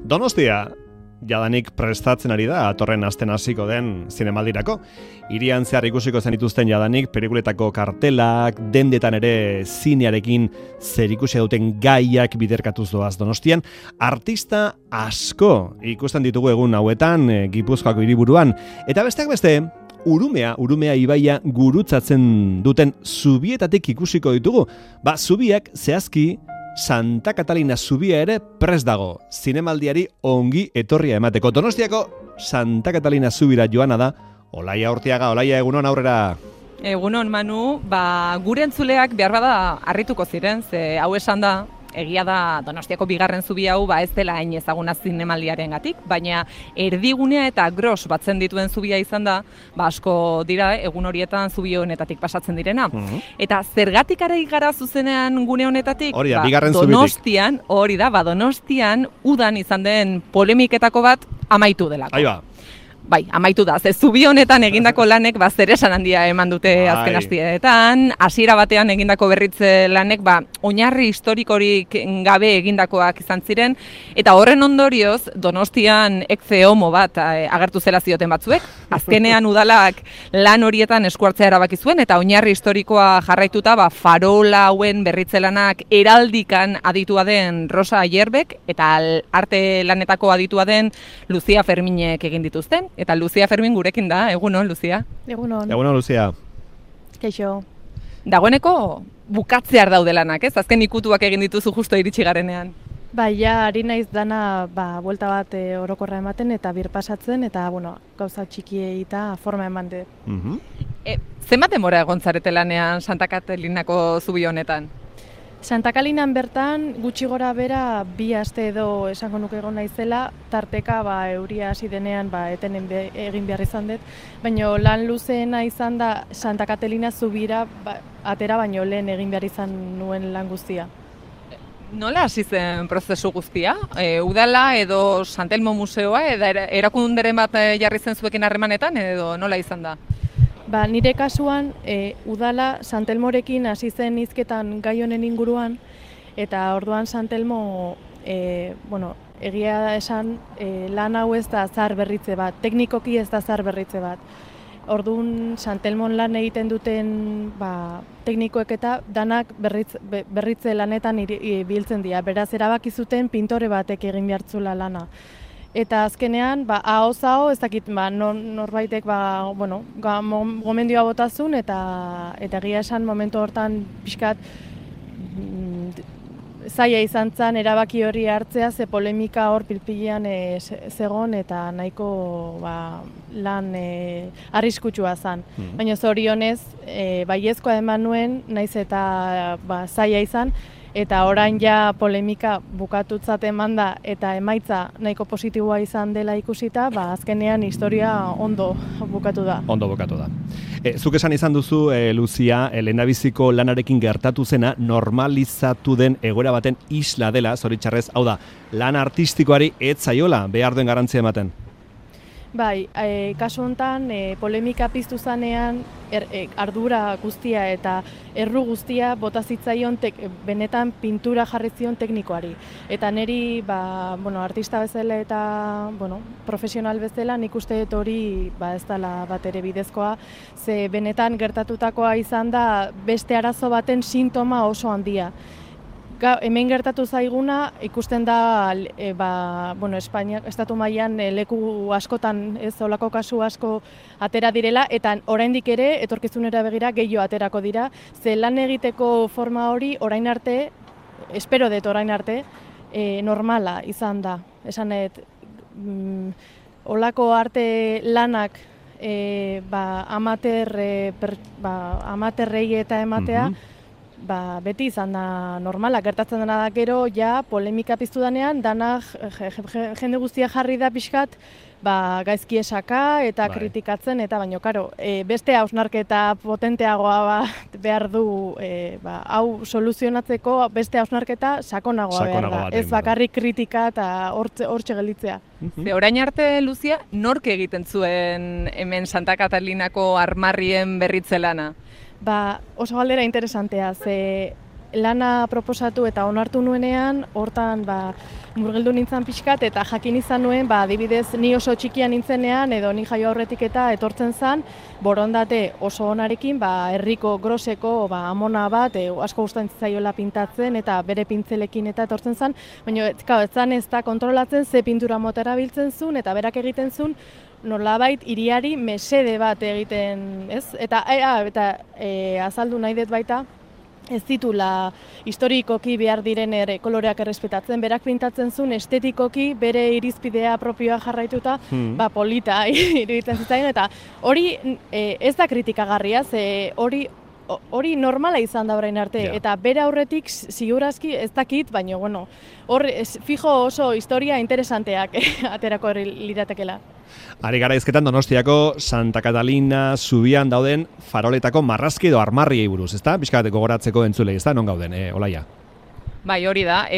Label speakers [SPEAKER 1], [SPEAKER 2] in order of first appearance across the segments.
[SPEAKER 1] Donostia, jadanik prestatzen ari da atorren asten hasiko den zinemaldirako. Hirian zehar ikusiko zenituzten jadanik pelikuletako kartelak, dendetan ere zinearekin zerikusia duten gaiak biderkatuz doaz Donostian. Artista asko ikusten ditugu egun hauetan Gipuzkoako hiriburuan. Eta besteak beste, Urumea ibaia gurutzatzen duten zubietatik ikusiko ditugu. Zubiak zehazki Santa Catalina zubia ere prest dago, zinemaldiari ongi etorria emateko. Donostiako Santa Catalina zubira joana da, Olaia Urtiaga. Olaia, egunon aurrera.
[SPEAKER 2] Egunon, Manu, gure entzuleak behar bada harrituko ziren, ze hau esan da, egia da Donostiako bigarren zubi hau ez dela hain ezaguna zinemaldiarengatik, baina erdigunea eta gros batzen dituen zubia izan da, asko dira egun horietan zubi honetatik pasatzen direna. Eta zergatik ari gara zuzenean gune honetatik?
[SPEAKER 1] Hori da, bigarren zubitik.
[SPEAKER 2] Donostian, hori da, Donostian udan izan den polemiketako bat amaitu delako.
[SPEAKER 1] Ahí va.
[SPEAKER 2] Bai, amaitu da, ze zubi honetan egindako lanek zeresan handia eman dute azken asteetan, hasiera batean egindako berritze lanek oinarri historikorik gabe egindakoak izan ziren, eta horren ondorioz Donostian ekze homo bat agertu zela zioten batzuek. Azkenean udalak lan horietan eskuartzea erabaki zuen, eta oinarri historikoa jarraituta farola hauen berritze lanak heraldikan aditua den Rosa Ayerbek, eta arte lanetako aditua den Lucia Ferminek egin dituzten. Eta Lucia Fermin gurekin da, egunon, Lucia?
[SPEAKER 3] Egunon.
[SPEAKER 1] Egunon, Lucia.
[SPEAKER 3] Keixo.
[SPEAKER 2] Dagoeneko bukatzear daude lanak, ez? Azken ikutuak egin dituzu justo iritsi garenean.
[SPEAKER 3] Ari naiz dana, buelta bat orokorra ematen eta birpasatzen, eta, gauza txikiei eta forma eman dut.
[SPEAKER 2] Zenbat denbora egon zarete lanean Santa Catalinako zubi honetan?
[SPEAKER 3] Santa Catalinan bertan gutxi gora bera 2 aste edo esango nuke egon naizela, tarteka euria hasi denean etenen egin behar izan dut, baina lan luzeena izan da Santa Catalina zubira atera baino lehen egin behar izan nuen lan guztia.
[SPEAKER 2] Nola hasi zen prozesu guztia? Udala edo Santelmo museoa edo erakunderen bat jarri zen zuekin harremanetan edo nola izan da?
[SPEAKER 3] Nire kasuan, udala Santelmorekin hasi zen hizketan gai honen inguruan, eta orduan Santelmo, egia esan, lan hau ez da zahar berritze bat, teknikoki ez da zahar berritze bat. Orduan Santelmon lan egiten duten teknikoek eta danak berritze lanetan biltzen dira, beraz erabaki zuten pintore batek egin behartzula lana. Eta azkenean, ahoz-aho, ez dakit, norbaitek, gomendioa botazun, eta egia esan momentu hortan pixkat zaila izan zen erabaki hori hartzea, ze polemika hor pilpilean zegon, eta nahiko lan arriskutsua zen. Baina zorionez, baiezkoa eman nuen, naiz eta zaila izan, eta orain ja polemika bukatutzat eman da eta emaitza nahiko positiboa izan dela ikusita, azkenean historia ondo bukatu da.
[SPEAKER 1] Ondo bukatu da. Zuk esan izan duzu, Lucia, lehendabiziko lanarekin gertatu zena normalizatu den egoera baten isla dela, zoritxarrez, hau da, lan artistikoari ez zaiola behar duen garrantzia ematen?
[SPEAKER 3] Kasu honetan polemika piztu zanean ardura guztia eta erru guztia bota zitzaion benetan pintura jarri zion teknikoari. Eta niri artista bezala eta profesional bezala nik uste dut hori ez dela bat ere bidezkoa, ze benetan gertatutakoa izan da beste arazo baten sintoma oso handia. Hemen gertatu zaiguna ikusten da Espainia estatu mailan leku askotan ez olako kasu asko atera direla, eta oraindik ere etorkizunera begira gehiago aterako dira, ze lan egiteko forma hori orain arte, espero dut orain arte, normala izan da. Esan olako arte lanak amaterrei eta ematea, beti izan da normala, gertatzen dena da gero, polemika piztu danean, jende guztia jarri da pixkat, gaizki esaka eta kritikatzen, eta baino, beste hausnarketa potenteagoa behar du, hau soluzionatzeko beste hausnarketa sakonagoa behar da, ez bakarrik kritika eta hortxe gelditzea.
[SPEAKER 2] Orain arte, Lucia, nork egiten zuen hemen Santa Catalinako armarrien berritze lana?
[SPEAKER 3] Oso galdera interesantea, ze lana proposatu eta onartu nuenean, hortan murgildu nintzen pixkat eta jakin izan nuen, adibidez, ni oso txikia nintzenean edo ni jaio aurretik eta etortzen zen, borondate oso onarekin, herriko groseko amona bat, asko gustatzen zaiola pintatzen eta bere pintzelekin eta etortzen zen, baina ez da kontrolatzen ze pintura mota erabiltzen zuen eta berak egiten zuen, nolabait hiriari mesede bat egiten, ez? Eta azaldu nahi dut baita, ez ditula historikoki behar diren ere koloreak errespetatzen, berak pintatzen zuen estetikoki bere irizpidea propioa jarraituta, polita iruditzen zitzaion, eta hori ez da kritikagarria, hori normala izan da orain arte, eta bere aurretik segurazki ez dakit, baina hor fijo oso historia interesanteak aterako liratekela.
[SPEAKER 1] Ari gara izketan Donostiako Santa Catalina zubian dauden faroletako marrazki edo armarriei buruz, ezta? Pixkat gogoratzeko entzulei, ezta? Non gauden, Olaia?
[SPEAKER 2] Bai, hori da.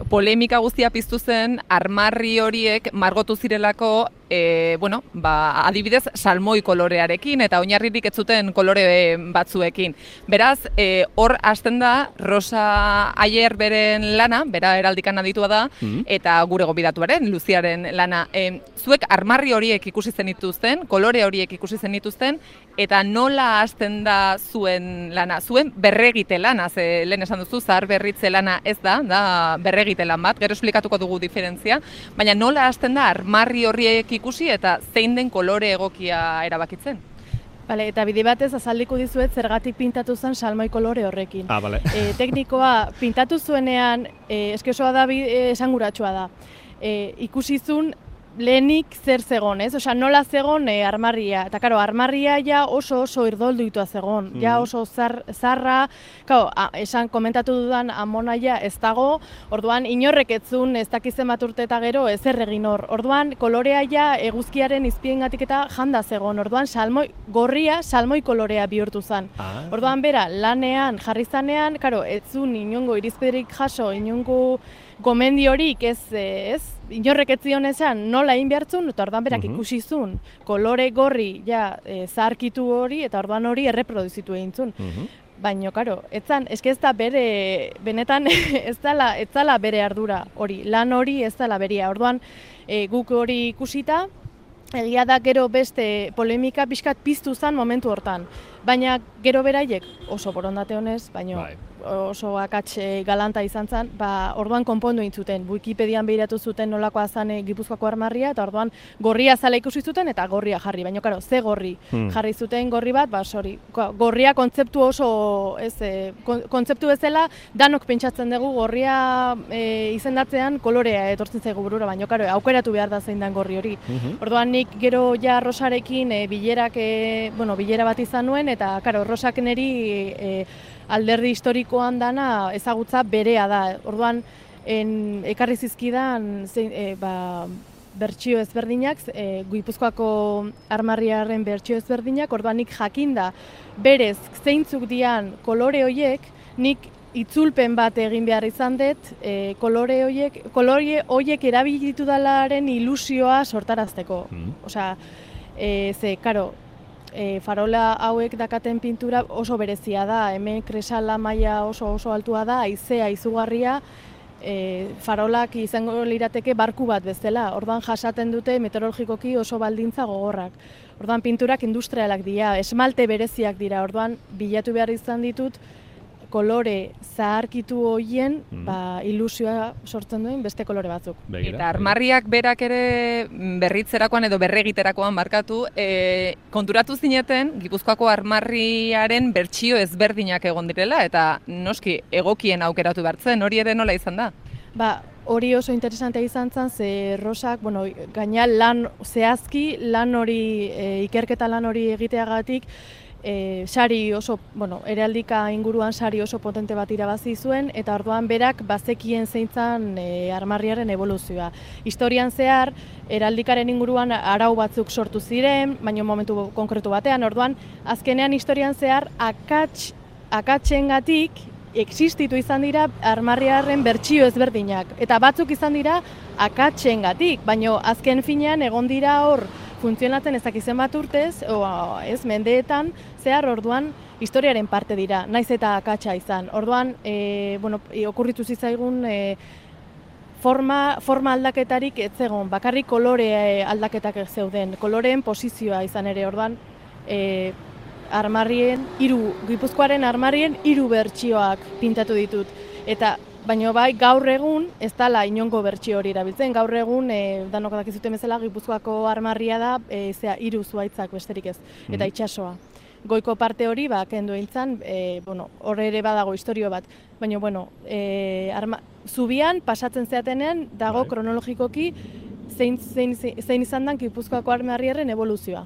[SPEAKER 2] Polemika guztia piztu zen armarri horiek margotu zirelako, adibidez, salmoi kolorearekin eta oinarririk ez zuten kolore batzuekin. Beraz, hor hasten da Rosa Ayer beren lana, bera heraldikan aditua da, eta gure gonbidatuaren, Luziaren lana. Zuek armarri horiek ikusi zenituzten, kolore horiek ikusi zenituzten, eta nola hasten da zuen lana? Zuen berregite lana, ze lehen esan duzu, zahar berritze lana ez da berregite lan bat, gero esplikatuko dugu diferentzia, baina nola hasten da armarri horiek ikusi eta zein den kolore egokia erabakitzen?
[SPEAKER 3] Bale, eta bide batez azaldiko dizuet zergatik pintatu zen salmoi kolore horrekin.
[SPEAKER 1] Bale.
[SPEAKER 3] Teknikoa pintatu zuenean, eskesoa da, esanguratsua da. Ikusi zuen lehenik zer zegon, ez? Osea, nola zegon armarria. Eta, karo, armarria ja oso irdolduitua zegon. Ja oso zarra, esan komentatu dudan amonaia ez dago, orduan inorrek etzun ez dakizen bat urte eta gero ezer egin hor. Orduan kolorea ja eguzkiaren izpiengatik eta janda zegon. Orduan salmoi kolorea bihurtu zen. Orduan bera, lanean jarri zanean, karo, etzun inongo irizpiderik jaso, inongo gomendiorik ez, inorrek ez zion esan nola egin behartzun, eta orduan berak ikusi zuen kolore gorri zaharkitu hori, eta orduan hori erreproduzitu egin zuen. Baina, karo, eske ez da bere, benetan ez dela bere ardura hori, lan hori ez dela beria. Orduan guk hori ikusita, egia da gero beste polemika pixkat piztu zen momentu hortan. Baina gero beraiek oso borondate honez, baina oso akats galanta izan zen, orduan konpondu egin zuten. Wikipedian behiratu zuten nolakoa zen Gipuzkoako armarria, eta orduan gorria zala ikusi zuten eta gorria jarri. Baina, karo, ze gorri jarri zuten gorri bat, gorria kontzeptu oso, kontzeptu bezala, danok pentsatzen dugu gorria izendatzean kolorea etortzen zaigu burura, baina, karo, aukeratu behar da zein den gorri hori. Orduan nik gero ja Rosarekin bilera bat izan nuen, eta, karo, Rosak neri alderdi historikoan dana ezagutza berea da. Orduan, ekarri zizkidan bertsio ezberdinak, Gipuzkoako armarriaren bertsio ezberdinak, orduan nik jakinda berez zeintzuk dian kolore horiek, nik itzulpen bat egin behar izan dut, kolore horiek erabilitu dalaren ilusioa sortarazteko. Osea, karo, farola hauek dakaten pintura oso berezia da, hemen kresala maila oso altua da, haizea izugarria, farolak izango lirateke barku bat bezala, orduan jasaten dute meteorologikoki oso baldintza gogorrak. Orduan pinturak industrialak dira, esmalte bereziak dira, orduan bilatu behar izan ditut, kolore zaharkitu horien ilusioa sortzen duen beste kolore batzuk.
[SPEAKER 2] Eta armarriak berak ere berritzerakoan edo berregiterakoan markatu, konturatu zineten Gipuzkoako armarriaren bertsio ezberdinak egon direla, eta noski egokien aukeratu behartzen, hori ere nola izan da?
[SPEAKER 3] Hori oso interesantea izan zen, ze Rosak, gaina lan zehazki, ikerketa lan hori egiteagatik, sari oso, heraldika inguruan sari oso potente bat irabazi zuen, eta orduan berak bazekien zeintzan armarriaren evoluzioa. Historian zehar, heraldikaren inguruan arau batzuk sortu ziren, baina momentu konkretu batean, orduan azkenean historian zehar akatsengatik existitu izan dira armarriaren bertsio ezberdinak, eta batzuk izan dira akatsengatik, baina azken finean egon dira hor funtzionatzen ez dakizen bat urtez, mendeetan, zehar orduan historiaren parte dira, naiz eta akatsa izan. Orduan, okurritu zitzaigun forma aldaketarik ez zegoen, bakarrik kolore aldaketak zeuden, koloreen posizioa izan ere. Orduan, Gipuzkoaren armarrien 3 bertsioak pintatu ditut. Baina bai, gaur egun ez dela inongo bertsio hori erabiltzen. Gaur egun, danok dakizuten bezala, Gipuzkoako armarria da 3 zuhaitzak besterik ez, eta itsasoa. Goiko parte hori, kendu eintzan, hor ere badago istorio bat. Baina, zubian, pasatzen zeatenean, dago kronologikoki zein izan dan Gipuzkoako armarriaren evoluzioa.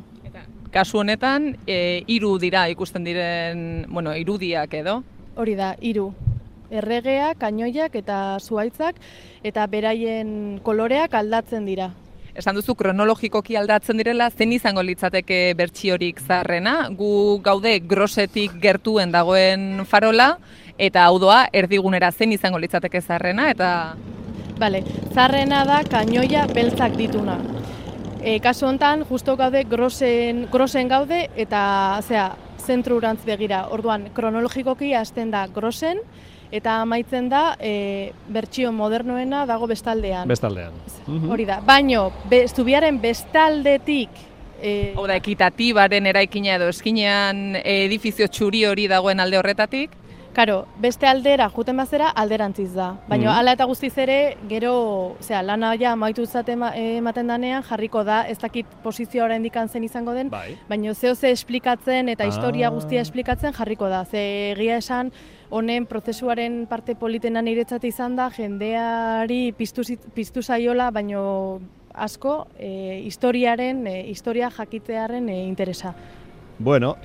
[SPEAKER 2] Kasu honetan, 3 dira ikusten diren, irudiak edo?
[SPEAKER 3] Hori da, 3. Erregea, kanoiak eta zuhaitzak, eta beraien koloreak aldatzen dira.
[SPEAKER 2] Esan duzu kronologikoki aldatzen direla, zen izango litzateke bertsiorik zaharrena? Gu gaude Grosetik gertuen dagoen farola, eta hau doa erdigunera zen izango litzateke zaharrena, eta...
[SPEAKER 3] Bale, zaharrena da kanoia beltzak dituna. Kasu honetan, justo gaude Grosen gaude, eta zentrurantz begira. Orduan, kronologikoki hasten da Grosen, eta amaitzen da bertsio modernoena dago bestaldean.
[SPEAKER 1] Bestaldean.
[SPEAKER 3] Hori da, baino, zubiaren bestaldetik...
[SPEAKER 2] Hau da, ekitatibaren eraikina edo eskinean edifizio txuri hori dagoen alde horretatik?
[SPEAKER 3] Karo, beste aldera juten bazera alderantziz da. Baina hala eta guztiz ere, gero, lana ja amaitu ematen danean, jarriko da, ez dakit posizioa oraindik zen izango den, baina ze esplikatzen eta historia guztia esplikatzen jarriko da. Ze egia esan, honen prozesuaren parte politena niretzat izan da, jendeari piztu zaiola, baino asko historia jakitearen interesa.
[SPEAKER 1] Bueno,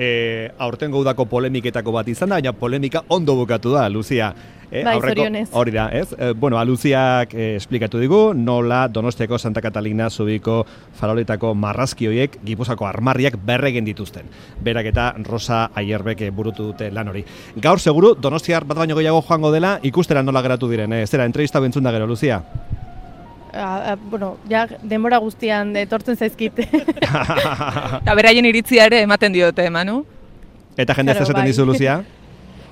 [SPEAKER 1] aurtengo udako polemiketako bat izan da, baina polemika ondo bukatu da, Luzia.
[SPEAKER 3] Zorionez.
[SPEAKER 1] Hori da, ez? Luziak esplikatu digu, nola Donostiako Santa Catalina zubiko faroletako marrazki horiek Gipuzkoako armarriak berregen dituzten. Berak eta Rosa Aierbek burutu dute lan hori. Gaur seguru, Donostiar bat baino gehiago joango dela, ikustera nola geratu diren. Zera, entrevista bentzun da gero, Luzia?
[SPEAKER 3] Denbora guztian etortzen zaizkit.
[SPEAKER 2] Eta beraien iritzia ere ematen diote, Manu?
[SPEAKER 1] Eta jende esaten dizu, Luzia?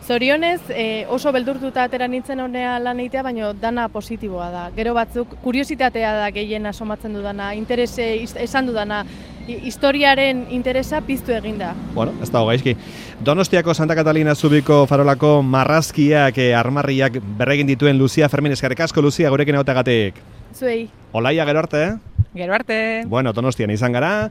[SPEAKER 3] Zorionez, oso beldurtuta atera nintzen honea lan egitea, baina dana positiboa da. Gero batzuk, kuriositatea da gehien asomatzen dudana, esan dudana, historiaren interesa piztu eginda.
[SPEAKER 1] Bueno, ez dago gaizki. Donostiako Santa Catalina zubiko farolako marrazkiak, armarriak berregin dituen Luzia Fermin, eskerrik asko, Luzia, gurekin egoteagatik.
[SPEAKER 3] Zuei.
[SPEAKER 1] Olaia, gero arte?
[SPEAKER 2] Gero arte.
[SPEAKER 1] Bueno, Donostian izan gara.